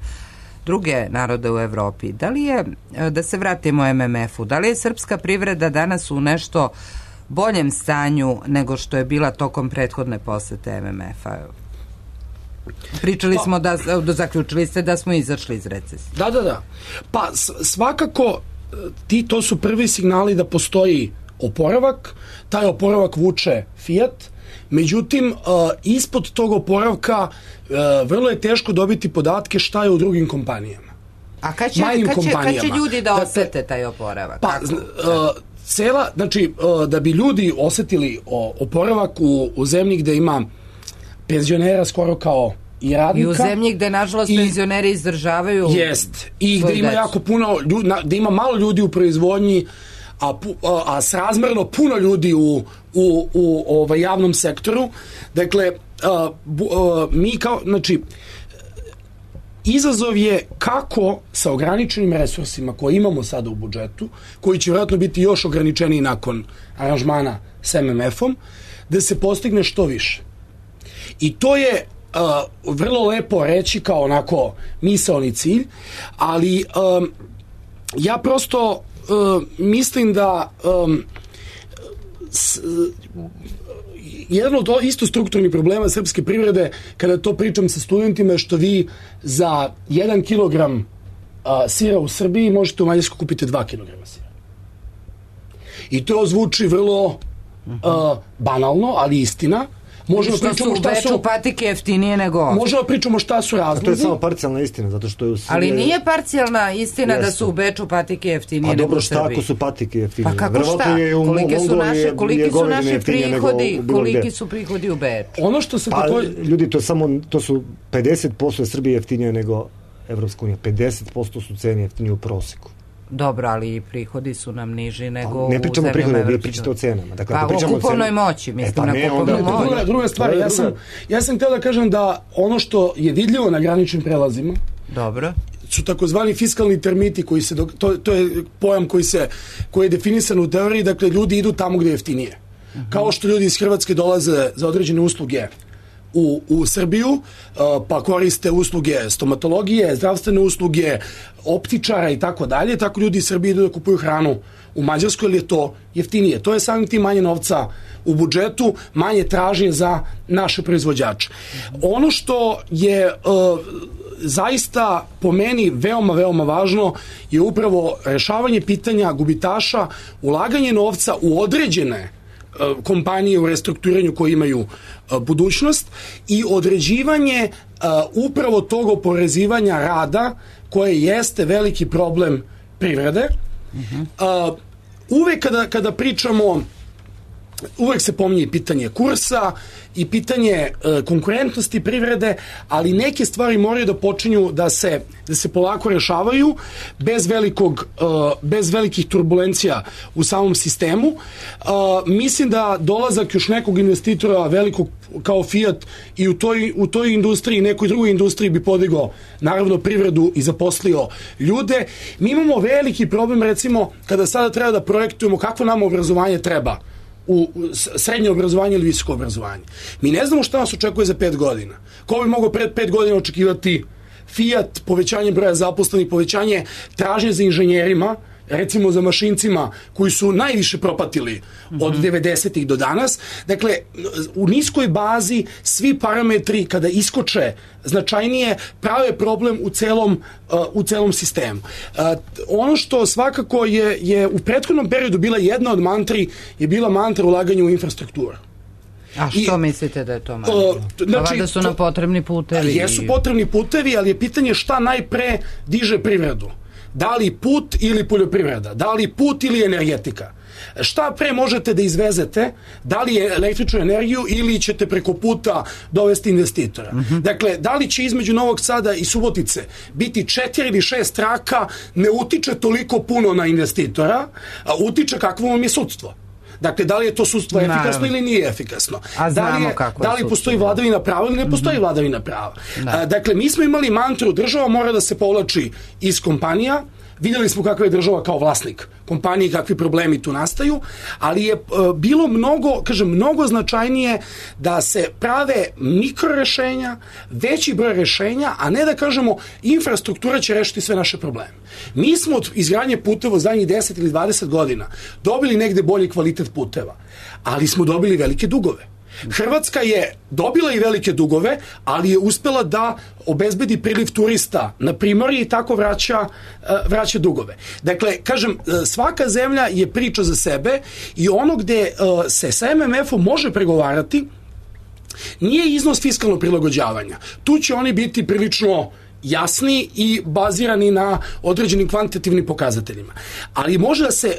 druge narode u Evropi. Da li je, da se vratimo MMF-u, da li je srpska privreda danas u nešto boljem stanju nego što je bila tokom prethodne posete MMF-a? Pričali smo da zaključili ste da smo izašli iz recesije. Da. Pa svakako to su prvi signali da postoji oporavak, taj oporavak vuče Fiat. Međutim, ispod tog oporavka vrlo je teško dobiti podatke šta je u drugim kompanijama. A kad će ljudi da osete taj oporavak? Pa, da bi ljudi osetili oporavak u zemlji gde ima penzionera skoro kao i radnika. I u zemlji gde, nažalost, penzioneri izdržavaju. Jest. I gde ima jako puno ljudi, gde ima malo ljudi u proizvodnji, a srazmerno puno ljudi u javnom sektoru. Dakle, mi kao, znači, izazov je kako sa ograničenim resursima koje imamo sada u budžetu, koji će vjerojatno biti još ograničeniji nakon aranžmana s MMF-om, da se postigne što više. I to je vrlo lepo reći kao onako misaoni cilj, ali ja prosto mislim da jedan od isto strukturnih problema srpske privrede, kada to pričam sa studentima, je što vi za 1 kilogram sira u Srbiji možete u Mađarskoj kupiti 2 kilograma sira. I to zvuči vrlo banalno, ali istina. Možemo pričamo šta su patike jeftinije nego ovdje. Možemo pričamo šta su razlozi. To je samo parcijalna istina, zato što je u Srbiji... Ali nije parcijalna istina da su u Beču patike jeftinije nego u Srbiji. Pa dobro, šta ako su patike jeftinije? Pa kako šta? Koliki su prihodi u Beču? Ono što se ljudi, to su 50% Srbije jeftinije nego Evropska unija. 50% su cene jeftinije u proseku. Dobro, ali i prihodi su nam niži nego ne pričamo u o prihodima, vi zemljama pričate o cenama. Dakle, pa o kupovnoj moći, mislim na kupovnu moć. Druga stvar, ja sam htio da kažem da ono što je vidljivo na graničnim prelazima dobro su takozvani fiskalni termiti koji se to je pojam koji je definisan u teoriji, dakle ljudi idu tamo gde je jeftinije. Kao što ljudi iz Hrvatske dolaze za određene usluge u Srbiju, pa koriste usluge stomatologije, zdravstvene usluge, optičara i tako dalje, tako ljudi iz Srbije idu da kupuju hranu u Mađarskoj, jer je to jeftinije. To je samim tim manje novca u budžetu, manje tražnje za naše proizvođače. Ono što je zaista po meni veoma, veoma važno je upravo rešavanje pitanja gubitaša, ulaganje novca u određene kompanije u restrukturiranju koji imaju budućnost i određivanje upravo tog oporezivanja rada koje jeste veliki problem privrede. Uvek kada pričamo, uvek se pominje pitanje kursa i pitanje konkurentnosti privrede, ali neke stvari moraju da počinju da se polako rešavaju bez velikih turbulencija u samom sistemu. Mislim da dolazak još nekog investitora velikog kao Fiat i u toj industriji, nekoj drugoj industriji bi podigao naravno privredu i zaposlio ljude. Mi imamo veliki problem, recimo, kada sada treba da projektujemo kakvo nam obrazovanje treba, u srednje obrazovanje ili visoko obrazovanje. Mi ne znamo šta nas očekuje za 5 godina. Ko bi mogao pred 5 godina očekivati Fiat, povećanje broja zaposlenih, povećanje tražnje za inženjerima, recimo za mašincima koji su najviše propatili od 90-ih do danas. Dakle, u niskoj bazi svi parametri kada iskoče značajnije prave problem u celom sistemu. Ono što svakako je u prethodnom periodu bila jedna od mantri, je bila mantra ulaganja u infrastrukturu. A što mislite da je to malo? Znači, da su nam potrebni putevi? Jesu potrebni putevi, ali je pitanje šta najpre diže privredu. Da li put ili poljoprivreda? Da li put ili energetika? Šta pre možete da izvezete? Da li je električnu energiju ili ćete preko puta dovesti investitora? Dakle, da li će između Novog Sada i Subotice biti 4 ili 6 traka, ne utiče toliko puno na investitora, a utiče kakvo vam je sudstvo. Dakle, da li je to sudstvo efikasno ili nije efikasno? Da li postoji vladavina prava ili ne postoji vladavina prava? Dakle, mi smo imali mantru, država mora da se povlači iz kompanija, vidjeli smo kakva je država kao vlasnik kompanije, kakvi problemi tu nastaju, ali je bilo mnogo značajnije da se prave mikrorešenja, veći broj rešenja, a ne da kažemo infrastruktura će rešiti sve naše probleme. Mi smo od izgradnje puteva zadnjih 10 ili 20 godina dobili negde bolji kvalitet puteva, ali smo dobili velike dugove. Hrvatska je dobila i velike dugove, ali je uspela da obezbedi priliv turista na primorje i tako vraća dugove. Dakle, kažem, svaka zemlja je priča za sebe i ono gde se sa MMF-om može pregovarati nije iznos fiskalnog prilagođavanja. Tu će oni biti prilično jasni i bazirani na određenim kvantitativnim pokazateljima. Ali može da se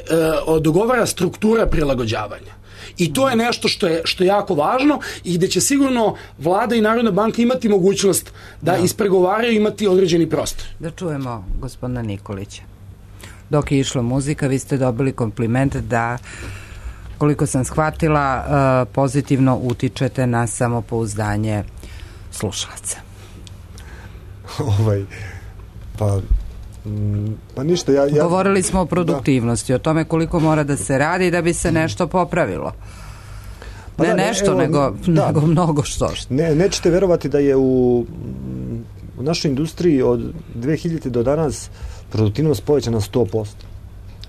dogovara struktura prilagođavanja. I to je nešto što je jako važno i gde će sigurno vlada i Narodna banka imati mogućnost da ispregovaraju i imati određeni prostor. Da čujemo gospodina Nikolića. Dok je išla muzika, vi ste dobili kompliment da, koliko sam shvatila, pozitivno utičete na samopouzdanje slušalaca. Pa ništa, govorili smo o produktivnosti, o tome koliko mora da se radi da bi se nešto popravilo. Nego mnogo što. Nećete verovati da je u našoj industriji od 2000 do danas produktivnost povećana 100%.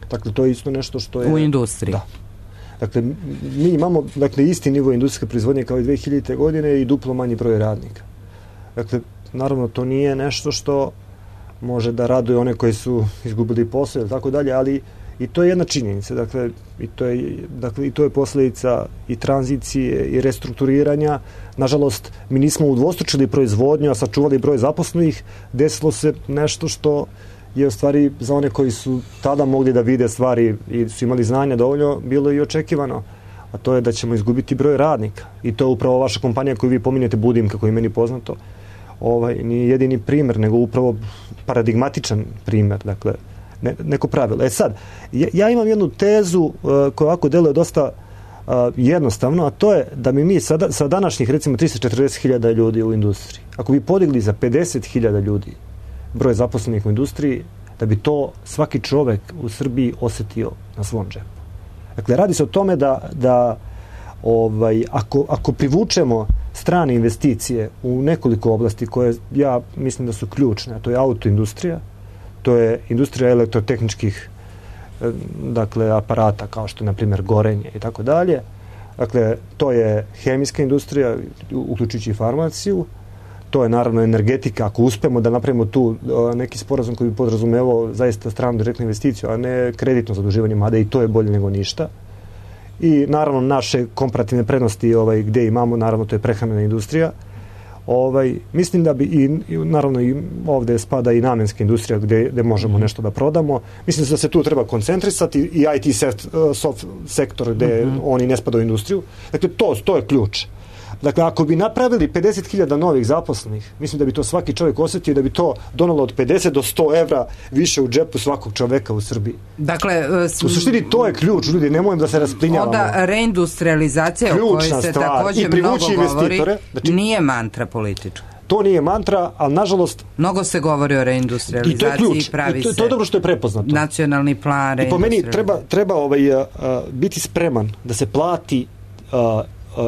Dakle, to je isto nešto što je... U industriji? Da. Dakle, mi imamo isti nivo industrijske proizvodnje kao i 2000. godine i duplo manji broj radnika. Dakle, naravno, to nije nešto što može da raduje one koji su izgubili posao i tako dalje, ali i to je jedna činjenica. Dakle, i to je posljedica i tranzicije i restrukturiranja. Nažalost, mi nismo udvostručili proizvodnju, a sačuvali broj zaposlenih. Desilo se nešto što je u stvari za one koji su tada mogli da vide stvari i su imali znanja dovoljno, bilo i očekivano. A to je da ćemo izgubiti broj radnika. I to je upravo vaša kompanija koju vi pominjete, Budim, kako je meni poznato. Nije jedini primer, nego upravo paradigmatičan primer. Dakle, neko pravilo. Sad, ja imam jednu tezu koja ovako deluje dosta jednostavno, a to je da mi sa današnjih recimo 340.000 ljudi u industriji, ako bi podigli za 50.000 ljudi broj zaposlenih u industriji, da bi to svaki čovek u Srbiji osetio na svom džepu. Dakle, radi se o tome da ako privučemo strane investicije u nekoliko oblasti koje ja mislim da su ključne, a to je autoindustrija, to je industrija elektrotehničkih aparata kao što je na primjer gorenje i tako dalje. Dakle, to je hemijska industrija, uključujući i farmaciju, to je naravno energetika, ako uspemo da napravimo tu neki sporazum koji bi podrazumevao zaista stranu direktnu investiciju, a ne kreditno zaduživanje, mada i to je bolje nego ništa. I naravno naše komparativne prednosti gde imamo, naravno to je prehrambena industrija. Mislim da bi i naravno i ovde spada i namenska industrija gde možemo nešto da prodamo. Mislim da se tu treba koncentrisati i IT sektor gde oni ne spadaju u industriju. Dakle, to je ključ. Dakle, ako bi napravili 50.000 novih zaposlenih, mislim da bi to svaki čovjek osjetio i da bi to donalo od 50 do 100 evra više u džepu svakog čoveka u Srbiji. Dakle, u suštini to je ključ, ljudi, nemojmo da se rasplinjavamo. Onda reindustrializacija o kojoj se također mnogo govori, nije mantra politička. To nije mantra, ali nažalost... Mnogo se govori o reindustrializaciji, pravi se... To je dobro što je prepoznato. Nacionalni plan i po meni treba biti spreman da se plati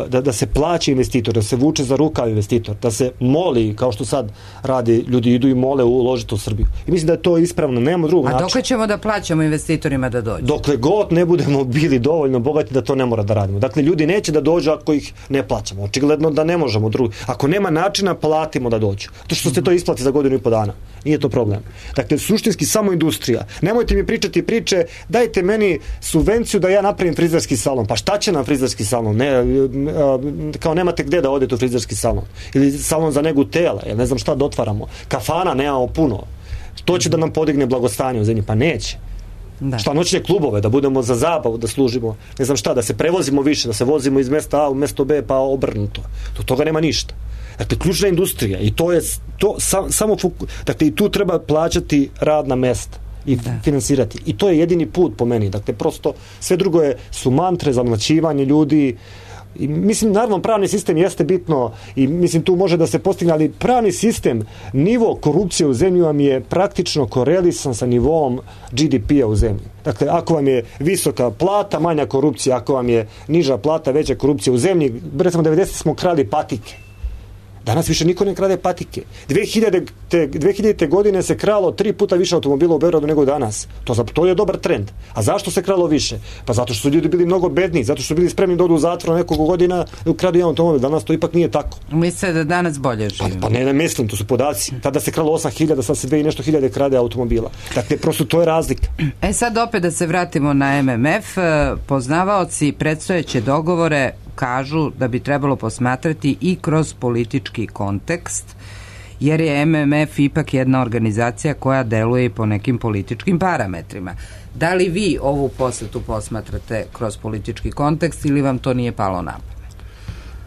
da se plaća investitor, da se vuče za rukav investitor, da se moli, kao što sad radi, ljudi idu i mole uložiti u Srbiju. I mislim da je to ispravno, nemamo drugog načina. A dokle ćemo da plaćamo investitorima da dođu? Dokle god ne budemo bili dovoljno bogati da to ne mora da radimo. Dakle, ljudi neće da dođu ako ih ne plaćamo. Očigledno da ne možemo drugi. Ako nema načina, platimo da dođu. To što se to isplati za godinu i po dana. Nije to problem. Dakle, suštinski samo industrija. Nemojte mi pričati priče, dajte meni subvenciju da ja napravim frizerski salon. Pa šta će nam frizerski salon? Kao nemate gde da odete u frizerski salon. Ili salon za negu tela. Ja ne znam šta da otvaramo. Kafana nemamo puno. To će da nam podigne blagostanje u zemlji. Pa neće. Šta, noćne klubove, da budemo za zabavu, da služimo, ne znam šta, da se prevozimo više, da se vozimo iz mesta A u mesto B, pa obrnuto. Do toga nema ništa. Dakle, ključna industrija i to je samo dakle, i tu treba plaćati radna mesta i finansirati. I to je jedini put po meni. Dakle, prosto sve drugo su mantre, zamlaćivanje ljudi. I, mislim, naravno, pravni sistem jeste bitno i mislim tu može da se postigne, ali pravni sistem, nivo korupcije u zemlji vam je praktično korelisan sa nivom GDP-a u zemlji. Dakle, ako vam je visoka plata, manja korupcija, ako vam je niža plata, veća korupcija u zemlji, recimo 90 smo krali patike. Danas više niko ne krade patike. 2000. godine se kralo 3 puta više automobila u Beogradu nego danas. To je dobar trend. A zašto se kralo više? Pa zato što su ljudi bili mnogo bedniji, zato što su bili spremni da odu u zatvor nekoliko godina da ukradu jedan automobil. Danas to ipak nije tako. Mislite da danas bolje živimo? Pa ne mislim, to su podaci. Tada se kralo 8.000, sad se 2 i nešto hiljade krade automobila. Dakle, prosto to je razlika. Sad opet da se vratimo na MMF. Poznavaoci predstojeće dogovore kažu da bi trebalo posmatrati i kroz politički kontekst, jer je MMF ipak jedna organizacija koja deluje i po nekim političkim parametrima. Da li vi ovu posetu posmatrate kroz politički kontekst ili vam to nije palo na pamet?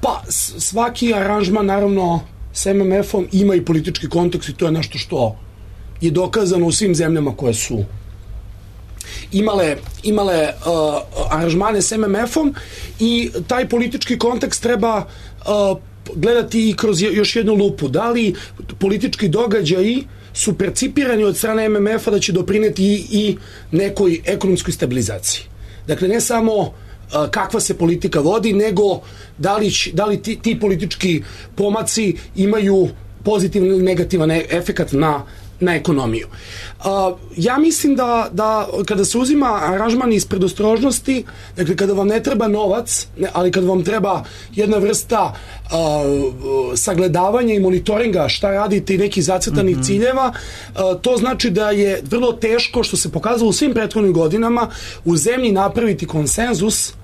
Pa, svaki aranžman, naravno, s MMF-om ima i politički kontekst i to je nešto što je dokazano u svim zemljama koje su imale aranžmane s MMF-om i taj politički kontekst treba gledati i kroz još jednu lupu. Da li politički događaji su percipirani od strane MMF-a da će doprineti i nekoj ekonomskoj stabilizaciji. Dakle, ne samo kakva se politika vodi, nego da li ti politički pomaci imaju pozitivan ili negativan efekat na ekonomiju. Ja mislim da kada se uzima aranžman iz predostrožnosti, dakle kada vam ne treba novac, ali kada vam treba jedna vrsta sagledavanja i monitoringa šta radite i nekih zacrtanih ciljeva, to znači da je vrlo teško, što se pokazalo u svim prethodnim godinama, u zemlji napraviti konsenzus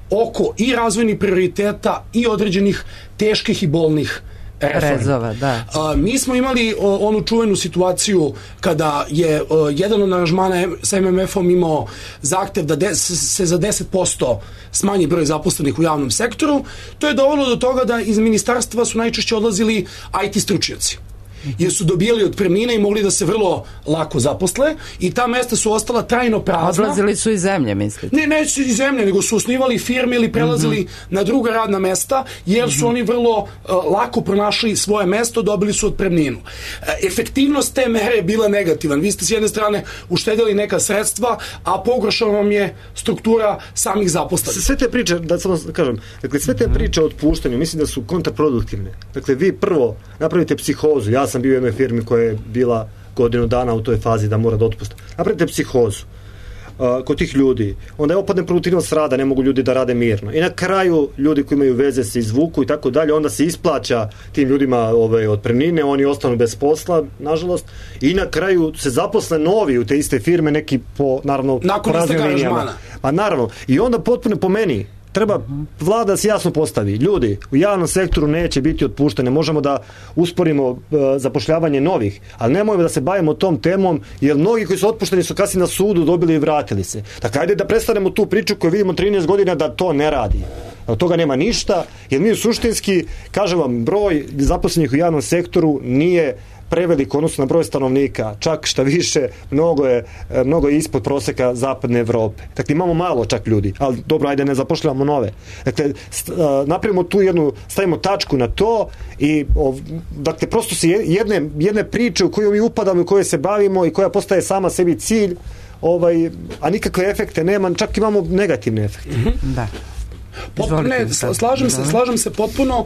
oko i razvojnih prioriteta i određenih teških i bolnih rezova, da. Mi smo imali onu čuvenu situaciju kada je jedan od aranžmana sa MMF-om imao zahtev da se za 10% smanji broj zaposlenih u javnom sektoru. To je dovelo do toga da iz ministarstva su najčešće odlazili IT stručnjaci. jer su dobijali otpremnine i mogli da se vrlo lako zaposle i ta mesta su ostala trajno prazna. Odlazili su iz zemlje, mislite? Ne su iz zemlje, nego su osnivali firme ili prelazili na druga radna mesta, jer su oni vrlo lako pronašli svoje mesto, dobili su otpremninu. Efektivnost te mere je bila negativan. Vi ste s jedne strane uštedili neka sredstva, a pogoršala vam je struktura samih zaposlenih. Sve te priče, da samo kažem, dakle, sve te priče o otpuštanju, mislim da su kontraproduktivne. Dakle, vi prvo napravite psihozu. Ja sam bio u jednoj firmi koja je bila godinu dana u toj fazi da mora da otpusta. Napravite psihozu kod tih ljudi. Onda je opadne produktivnost rada, ne mogu ljudi da rade mirno. I na kraju ljudi koji imaju veze se izvuku i tako dalje, onda se isplaća tim ljudima otpremnine, oni ostanu bez posla, nažalost, i na kraju se zaposle novi u te iste firme, neki po, naravno, nakon isteka aranžmana. Pa naravno. I onda potpuno po meni treba vlada da se jasno postavi. Ljudi, u javnom sektoru neće biti otpuštene. Možemo da usporimo zapošljavanje novih, ali nemojmo da se bavimo tom temom, jer mnogi koji su otpušteni su kasnije na sudu dobili i vratili se. Dakle, ajde da prestanemo tu priču koju vidimo 13 godina da to ne radi. Od toga nema ništa, jer mi suštinski, kažem vam, broj zaposlenih u javnom sektoru nije prevelik odnosno na broj stanovnika, čak šta više, mnogo je ispod proseka zapadne Evrope. Dakle, imamo malo čak ljudi, ali dobro, ajde ne zapošljavamo nove. Dakle, napravimo tu stavimo tačku na to i dakle, prosto se jedne priče u koju mi upadamo i u kojoj se bavimo i koja postaje sama sebi cilj, a nikakve efekte nema, čak imamo negativne efekte. Da. Slažem se potpuno.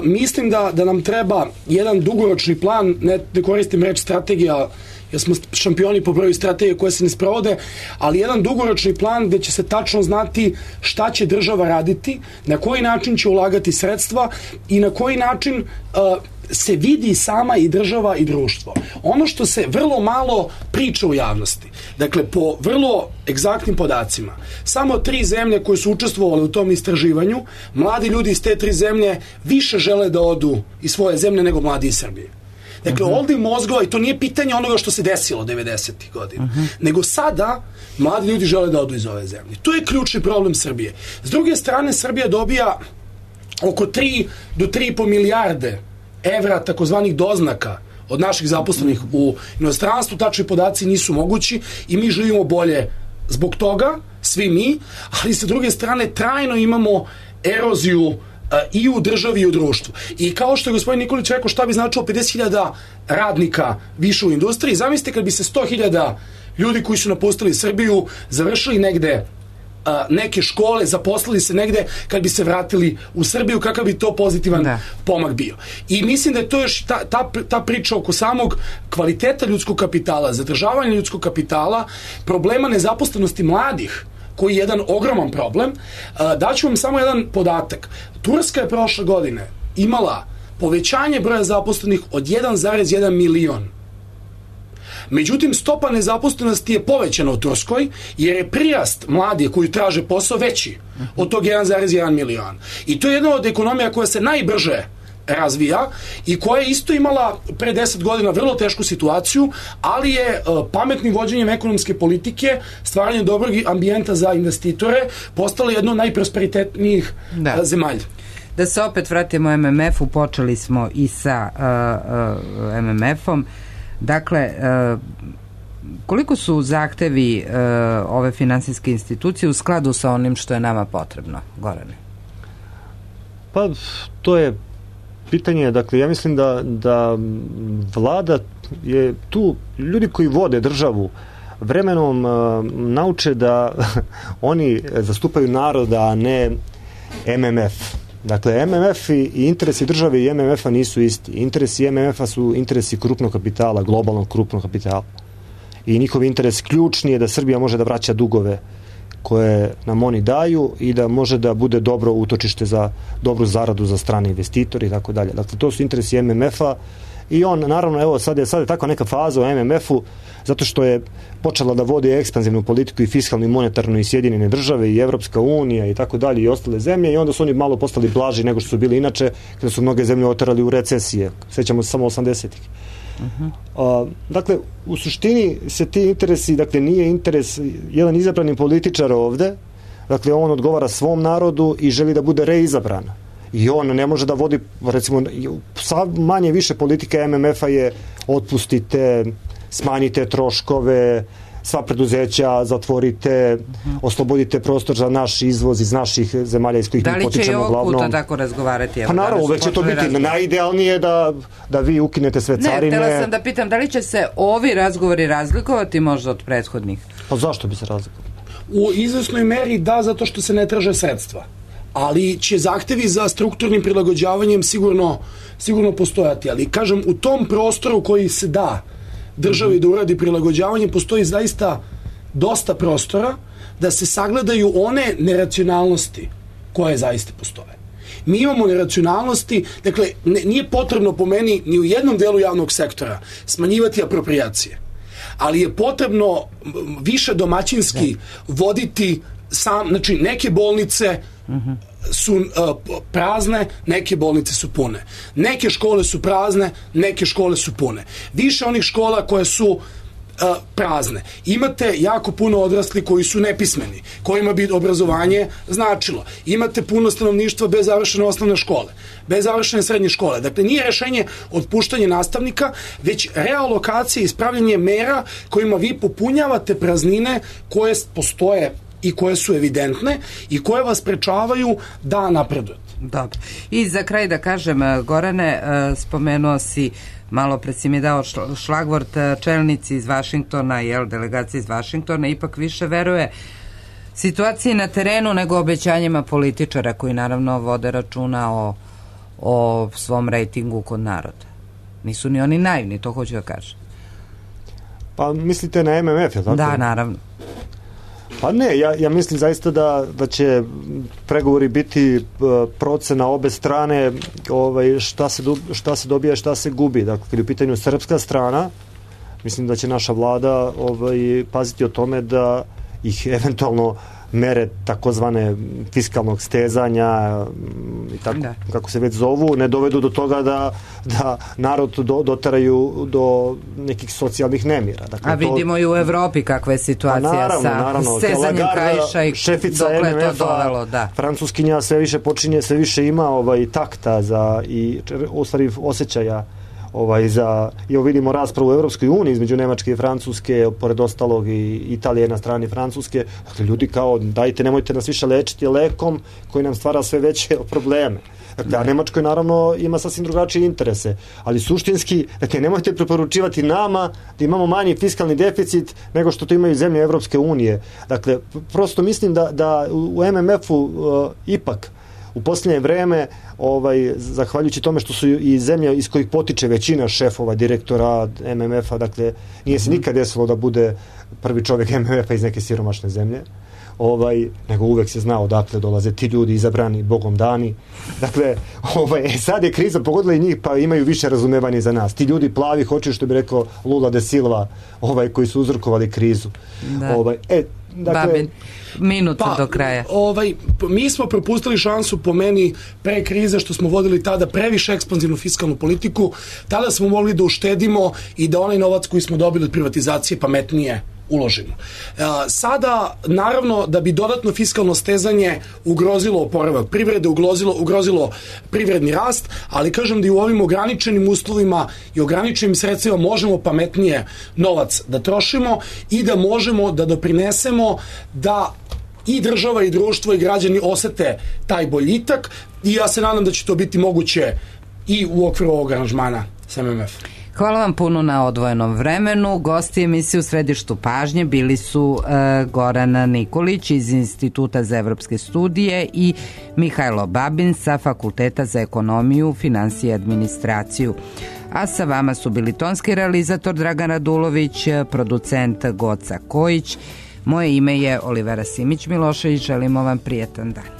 Mislim da nam treba jedan dugoročni plan, ne koristim reč strategija, jer smo šampioni po broju strategije koje se ne sprovode, ali jedan dugoročni plan gde će se tačno znati šta će država raditi, na koji način će ulagati sredstva i na koji način se vidi sama i država i društvo. Ono što se vrlo malo priča u javnosti, dakle, po vrlo egzaktnim podacima, samo 3 zemlje koje su učestvovale u tom istraživanju, mladi ljudi iz te 3 zemlje više žele da odu iz svoje zemlje nego mladi iz Srbije. Dakle, ovdje mozgova, i to nije pitanje onoga što se desilo 90. godina, nego sada mladi ljudi žele da odu iz ove zemlje. To je ključni problem Srbije. S druge strane, Srbija dobija oko 3 do 3,5 milijarde evra takozvanih doznaka od naših zaposlenih u inostranstvu. Tačni podaci nisu mogući i mi živimo bolje zbog toga, svi mi, ali sa druge strane trajno imamo eroziju i u državi i u društvu. I kao što je gospodin Nikolić rekao, šta bi značilo 50.000 radnika više u industriji, zamislite kad bi se 100.000 ljudi koji su napustili Srbiju završili negde neke škole, zaposlili se negde, kad bi se vratili u Srbiju, kakav bi to pozitivan pomak bio. I mislim da je to još ta priča oko samog kvaliteta ljudskog kapitala, zadržavanja ljudskog kapitala, problema nezaposlenosti mladih, koji je jedan ogroman problem. Daću vam samo jedan podatak. Turska je prošle godine imala povećanje broja zaposlenih od 1,1 milion. Međutim, stopa nezaposlenosti je povećana u Turskoj, jer je prirast mladih koji traže posao veći od tog 1,1 milion. I to je jedna od ekonomija koja se najbrže razvija i koja je isto imala pre 10 godina vrlo tešku situaciju, ali je pametnim vođenjem ekonomske politike, stvaranjem dobrog ambijenta za investitore, postala jedna od najprosperitetnijih zemalja. Da se opet vratimo MMF-u, počeli smo i sa MMF-om. Dakle, koliko su zahtevi ove finansijske institucije u skladu sa onim što je nama potrebno, Gorane? Pa, to je pitanje, dakle, ja mislim da vlada je tu, ljudi koji vode državu vremenom nauče da oni zastupaju naroda, a ne MMF. Dakle, MMF i interesi države i MMF-a nisu isti. Interesi MMF-a su interesi krupnog kapitala, globalnog krupnog kapitala. I njihov interes ključni je da Srbija može da vraća dugove koje nam oni daju i da može da bude dobro utočište za dobru zaradu za strane investitori i tako dalje. Dakle, to su interesi MMF-a i on, naravno, evo, sad je tako neka faza u MMF-u, zato što je počela da vodi ekspanzivnu politiku i fiskalnu i monetarnu i Sjedinjene države i Evropska unija i tako dalje i ostale zemlje, i onda su oni malo postali blaži nego što su bili inače, kada su mnoge zemlje oterali u recesije. Sjećamo se samo 80-ih. Dakle, u suštini se ti interesi, dakle, nije interes jedan izabrani političar ovde, dakle, on odgovara svom narodu i želi da bude reizabran. i on ne može da vodi, recimo, manje više politika MMF-a je otpustite, smanjite troškove, sva preduzeća zatvorite, oslobodite prostor za naš izvoz iz naših zemalja iz kojih mi potičemo glavnom. Da li će i ovog puta tako razgovarati? Pa naravno, uvek će to biti. Najidealnije da vi ukinete sve carine. Ne, htjela sam da pitam, da li će se ovi razgovori razlikovati možda od prethodnih? Pa zašto bi se razlikovali? U izvesnoj meri da, zato što se ne traže sredstva. Ali će zahtevi za strukturnim prilagođavanjem sigurno postojati. Ali, kažem, u tom prostoru koji se da državi da uradi prilagođavanje, postoji zaista dosta prostora da se sagledaju one neracionalnosti koje zaista postoje. Mi imamo neracionalnosti, dakle, nije potrebno po meni ni u jednom delu javnog sektora smanjivati aproprijacije, ali je potrebno više domaćinski voditi znači neke bolnice su prazne, neke bolnice su pune. Neke škole su prazne, neke škole su pune. Više onih škola koje su prazne. Imate jako puno odrasli koji su nepismeni, kojima bi obrazovanje značilo. Imate puno stanovništva bez završene osnovne škole, bez završene srednje škole. Dakle, nije rešenje otpuštanje nastavnika, već realokacija i ispravljanje mera kojima vi popunjavate praznine koje postoje i koje su evidentne i koje vas sprečavaju da napredujete. Dobro. I za kraj da kažem, Gorane, spomenuo si, malo pred si mi dao šlagvort, čelnici iz Vašingtona, delegacija iz Vašingtona ipak više veruje situaciji na terenu nego obećanjima političara koji naravno vode računa o svom rejtingu kod naroda. Nisu ni oni naivni, to hoću da kažem. Pa mislite na MMF, je tako? Da, naravno. Pa ne, ja mislim zaista da će pregovori biti procena obe strane, šta se dobija, šta se gubi. Dakle, kad je u pitanju srpska strana, mislim da će naša vlada paziti o tome da ih eventualno mere takozvane fiskalnog stezanja i tako, kako se već zovu, ne dovedu do toga da narod doteraju do nekih socijalnih nemira. Dakle, a vidimo i u Evropi kakva je situacija sa stezanjem kaiša i dokle je to dovelo. Francuskinja sve više ima takta i u stvari osjećaja evo vidimo raspravu u Evropskoj uniji između Nemačke i Francuske, pored ostalog i Italije na strani Francuske. Dakle, ljudi kao, dajte, nemojte nas više lečiti lekom koji nam stvara sve veće probleme. Dakle, a Nemačkoj naravno ima sasvim drugačije interese, ali suštinski, dakle, nemojte preporučivati nama da imamo manji fiskalni deficit nego što to imaju zemlje Evropske unije. Dakle, prosto mislim da u MMF-u ipak u posljednje vreme, zahvaljujući tome što su i zemlje iz kojih potiče većina šefova, direktora MMF-a, dakle, nije se nikad desilo da bude prvi čovjek MMF-a iz neke siromašne zemlje, nego uvek se znao odakle dolaze ti ljudi izabrani, Bogom dani. Dakle, sad je kriza pogodila i njih, pa imaju više razumevanja za nas. Ti ljudi plavi hoće, što bi rekao Lula de Silva, koji su uzrokovali krizu. Babin, minuta do kraja. Mi smo propustili šansu, po meni, pre krize, što smo vodili tada previše ekspanzivnu fiskalnu politiku. Tada smo mogli da uštedimo i da onaj novac koji smo dobili od privatizacije pametnije uložimo. Sada, naravno, da bi dodatno fiskalno stezanje ugrozilo oporavak privrede, ugrozilo privredni rast, ali kažem da i u ovim ograničenim uslovima i ograničenim sredstvima možemo pametnije novac da trošimo i da možemo da doprinesemo da i država i društvo i građani osete taj boljitak i ja se nadam da će to biti moguće i u okviru ovog aranžmana sa MMF. Hvala vam puno na odvojenom vremenu. Gosti emisije u središtu pažnje bili su Goran Nikolić iz Instituta za evropske studije i Mihajlo Babin sa Fakulteta za ekonomiju, finansije i administraciju. A sa vama su bili tonski realizator Dragan Radulović, producent Goca Kojić. Moje ime je Olivera Simić Milošević. Želimo vam prijetan dan.